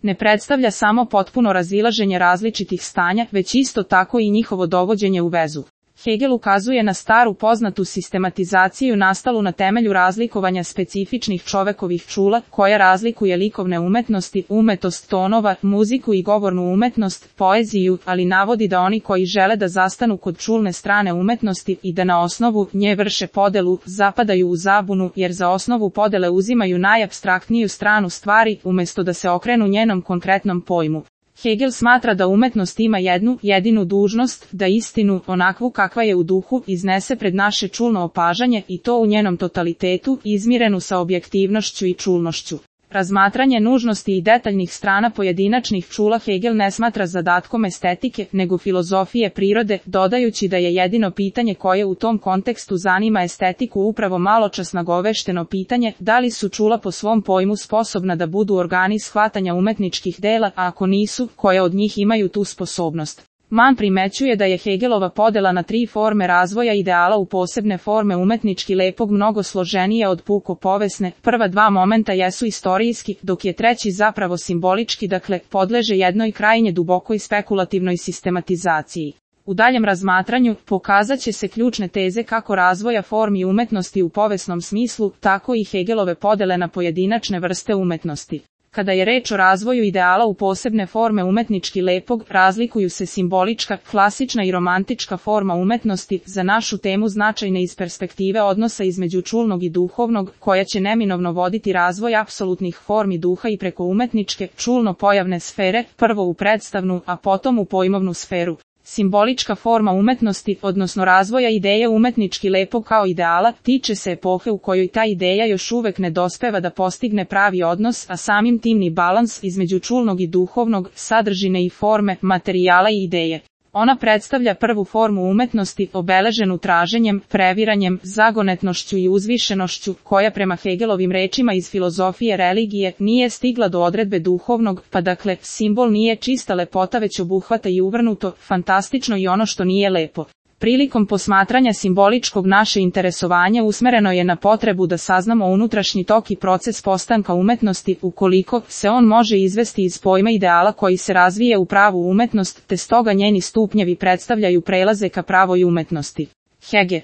ne predstavlja samo potpuno razilaženje različitih stanja, već isto tako i njihovo dovođenje u vezu. Hegel ukazuje na staru poznatu sistematizaciju nastalu na temelju razlikovanja specifičnih čovekovih čula, koja razlikuje likovne umetnosti, umetost tonova, muziku i govornu umetnost, poeziju, ali navodi da oni koji žele da zastanu kod čulne strane umetnosti i da na osnovu nje vrše podelu, zapadaju u zabunu, jer za osnovu podele uzimaju najapstraktniju stranu stvari, umjesto da se okrenu njenom konkretnom pojmu. Hegel smatra da umetnost ima jednu, jedinu dužnost, da istinu, onakvu kakva je u duhu, iznese pred naše čulno opažanje i to u njenom totalitetu, izmirenu sa objektivnošću i čulnošću. Razmatranje nužnosti i detaljnih strana pojedinačnih čula Hegel ne smatra zadatkom estetike, nego filozofije prirode, dodajući da je jedino pitanje koje u tom kontekstu zanima estetiku upravo maločas nagovešteno pitanje, da li su čula po svom pojmu sposobna da budu organi shvatanja umetničkih dela, a ako nisu, koje od njih imaju tu sposobnost. Mann primećuje da je Hegelova podela na 3 forme razvoja ideala u posebne forme umetnički lepog mnogo složenije od puko povesne. Prva 2 momenta jesu istorijski, dok je treći zapravo simbolički, dakle, podleže jednoj krajnje dubokoj spekulativnoj sistematizaciji. U daljem razmatranju pokazat će se ključne teze kako razvoja formi umetnosti u povesnom smislu, tako i Hegelove podele na pojedinačne vrste umetnosti. Kada je reč o razvoju ideala u posebne forme umetnički lepog, razlikuju se simbolička, klasična i romantička forma umetnosti, za našu temu značajne iz perspektive odnosa između čulnog i duhovnog, koja će neminovno voditi razvoj apsolutnih formi duha i preko umetničke, čulno-pojavne sfere, prvo u predstavnu, a potom u pojmovnu sferu. Simbolička forma umetnosti, odnosno razvoja ideje umetnički lepog kao ideala, tiče se epohe u kojoj ta ideja još uvek ne dospeva da postigne pravi odnos, a samim tim ni balans između čulnog i duhovnog, sadržine i forme, materijala i ideje. Ona predstavlja prvu formu umetnosti, obeleženu traženjem, previranjem, zagonetnošću i uzvišenošću, koja prema Hegelovim rečima iz filozofije religije nije stigla do odredbe duhovnog, pa dakle, simbol nije čista lepota već obuhvata i uvrnuto, fantastično i ono što nije lepo. Prilikom posmatranja simboličkog naše interesovanje usmereno je na potrebu da saznamo unutrašnji tok i proces postanka umetnosti, ukoliko se on može izvesti iz pojma ideala koji se razvije u pravu umetnost, te stoga njeni stupnjevi predstavljaju prelaze ka pravoj umetnosti. Hegel